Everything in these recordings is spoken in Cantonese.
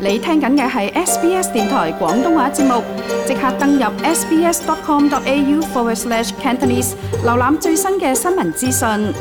你聽緊嘅係 SBS 電台廣東話節目，即刻登入 sbs.com.au/Cantonese 瀏覽最新嘅新聞資訊。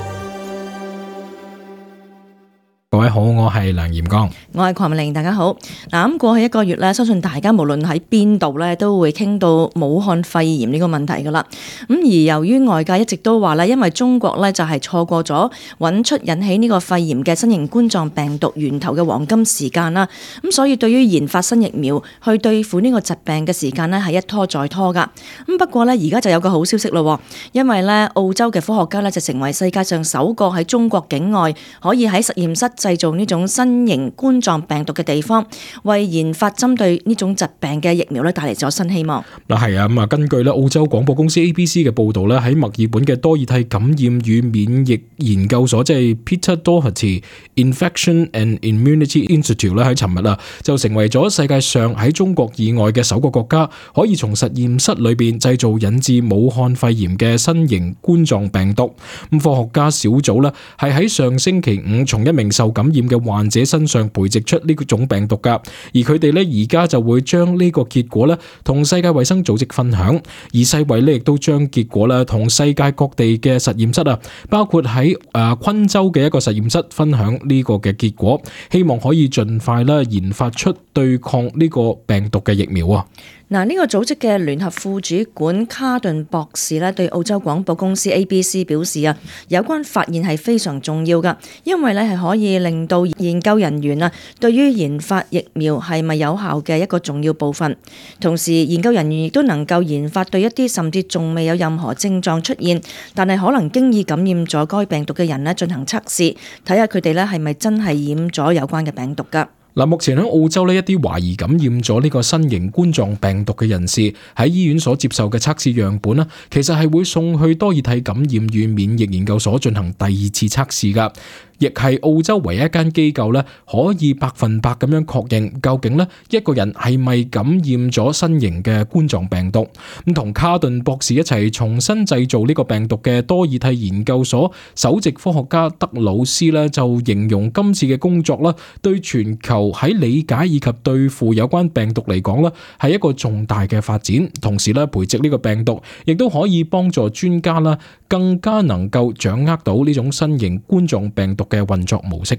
各位好，我係梁炎光，我係鄺美玲，大家好。咁過去一個月咧，相信大家無論喺邊度咧，都會傾到武漢肺炎呢個問題噶啦。咁而由於外界一直都話咧，因為中國咧就係錯過咗揾出引起呢個肺炎嘅新型冠狀病毒源頭嘅黃金時間啦。咁所以對於研發新疫苗去對付呢個疾病嘅時間咧，係一拖再拖噶。咁不過咧，而家就有個好消息咯，因為咧澳洲嘅科學家咧就成為世界上首個喺中國境外可以喺實驗室製造呢種新型冠狀病毒嘅地方，為研發針對呢種疾病嘅疫苗咧帶嚟咗新希望。嗱係啊，咁啊根據咧澳洲廣播公司 ABC 嘅報道咧，喺墨爾本嘅多爾蒂感染與免疫研究所，即係 Peter Doherty Infection and Immunity Institute 咧，喺尋日啊就成為咗世界上喺中國以外嘅首個國家，可以從實驗室裏邊製造引致武漢肺炎嘅新型冠狀病毒。咁科學家小組咧係喺上星期五從一名受感染嘅患者身上培植出呢種病毒噶，而佢哋咧而家就會將呢個結果咧同世界衛生組織分享，而世衛咧亦都將結果咧同世界各地嘅實驗室啊，包括喺昆州嘅一個實驗室分享呢個嘅結果，希望可以盡快啦研發出對抗呢個病毒嘅疫苗啊。嗱，呢個組織嘅聯合副主管卡頓博士咧，對澳洲廣播公司 ABC 表示啊，有關發現係非常重要噶，因為咧係可以令到研究人員啊，對於研發疫苗係咪有效嘅一個重要部分。同時，研究人員亦都能夠研發對一啲甚至仲未有任何症狀出現，但係可能經已感染咗該病毒嘅人咧進行測試，睇下佢哋咧係咪真係染咗有關嘅病毒噶。嗱，目前喺澳洲呢，一啲懷疑感染咗呢個新型冠狀病毒嘅人士喺醫院所接受嘅測試樣本呢，其實係會送去多爾蒂感染與免疫研究所進行第二次測試噶，亦係澳洲唯一一間機構咧可以100%咁樣確認究竟咧一個人係咪感染咗新型嘅冠狀病毒。咁同卡頓博士一齊重新製造呢個病毒嘅多爾蒂研究所首席科學家德魯斯咧就形容今次嘅工作啦，對全球喺理解以及對付有關病毒嚟講咧係一個重大嘅發展。同時咧培植呢個病毒亦都可以幫助專家啦更加能夠掌握到呢種新型冠狀病毒嘅運作模式。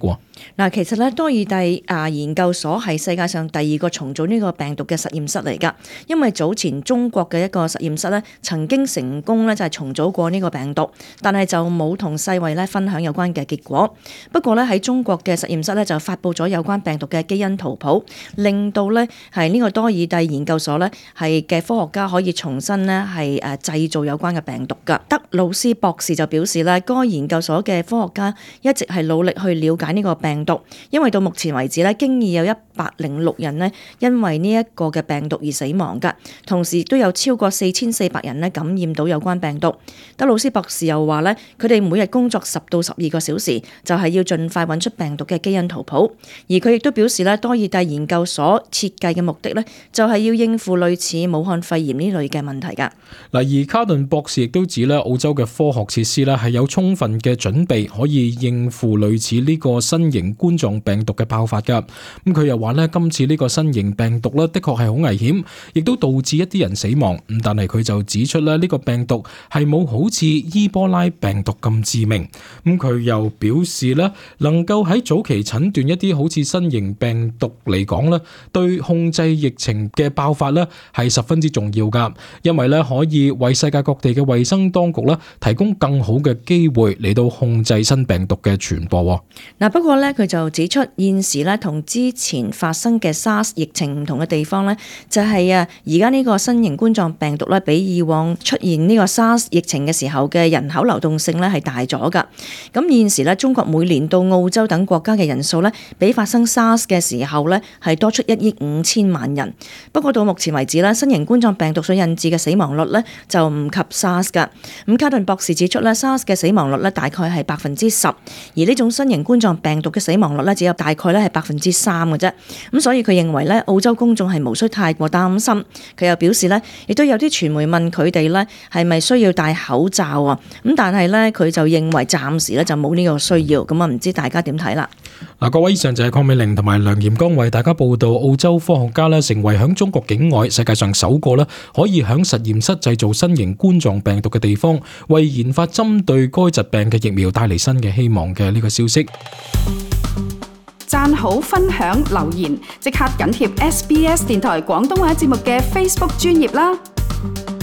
嗱，其實咧多爾蒂研究所係世界上第二個重組呢個病毒嘅實驗室嚟噶，因為早前中國嘅一個實驗室咧曾經成功咧就係重組過呢個病毒，但係就冇同世衛咧分享有關嘅結果。不過咧喺中國嘅實驗室咧就發布咗有關病毒嘅基因圖譜，令到咧係呢個多爾蒂研究所咧係嘅科學家可以重新咧係製造有關嘅病毒噶。德魯斯博士就表示咧，該研究所嘅科學家一直係努力去了解呢個病毒，因為到目前為止咧，經已有106人咧因為呢一個嘅病毒而死亡噶，同時亦都有超過4400人咧感染到有關病毒。德魯斯博士又話咧，佢哋每日工作10到12個小時，就係要盡快揾出病毒嘅基因圖譜。而佢亦都表示咧，多爾蒂研究所設計嘅目的咧，就係要應付類似武漢肺炎呢類嘅問題噶。嗱，而卡頓博士亦都指咧，澳洲嘅科學設施咧係有充分嘅準備，可以應付類似呢個新型冠狀病毒嘅爆發噶。咁佢又話咧，今次呢個新型病毒咧，的確係好危險，亦都導致一啲人死亡。咁但係佢就指出咧，呢個病毒係冇好似伊波拉病毒咁致命。咁佢又表示咧，能夠喺早期診斷一啲好似新型病毒嚟講咧，對控制疫情嘅爆發咧係十分之重要噶，因為咧可以為世界各地嘅衛生當局咧提供更好嘅機會嚟到控制新病毒嘅傳播。嗱，不過咧佢就指出，現時咧同之前發生嘅 SARS 疫情唔同嘅地方咧，就係而家呢個新型冠狀病毒咧，比以往出現呢個 SARS 疫情嘅時候嘅人口流動性咧係大咗噶。咁現時咧，中國每年到澳洲等國家嘅人數咧，比發生 SARS 嘅時候咧係多出1億5千萬人。不過到目前為止咧，新型冠狀病毒所引致嘅死亡率咧就唔及 SARS 噶。咁卡頓博士指出咧，SARS 嘅死亡率咧大概係10%，而呢種新型冠狀病毒嘅死亡率咧只有大概咧係3%嘅啫。咁所以佢認為咧，澳洲公眾係無需太過擔心。佢又表示咧，亦都有啲傳媒問佢哋咧係咪需要戴口罩啊？咁但係咧佢就認為暫時咧就冇呢個需要。咁啊唔知大家點睇啦？各位，以上就係鄺美玲同埋梁炎剛為大家報道澳洲科學家成為響中國境外世界上首個可以響實驗室製造新型冠狀病毒嘅地方，為研發針對該疾病嘅疫苗帶嚟新嘅希望嘅呢個消息。讚好、分享、留言，即刻緊貼SBS 電台廣東話節目嘅 Facebook 專頁啦！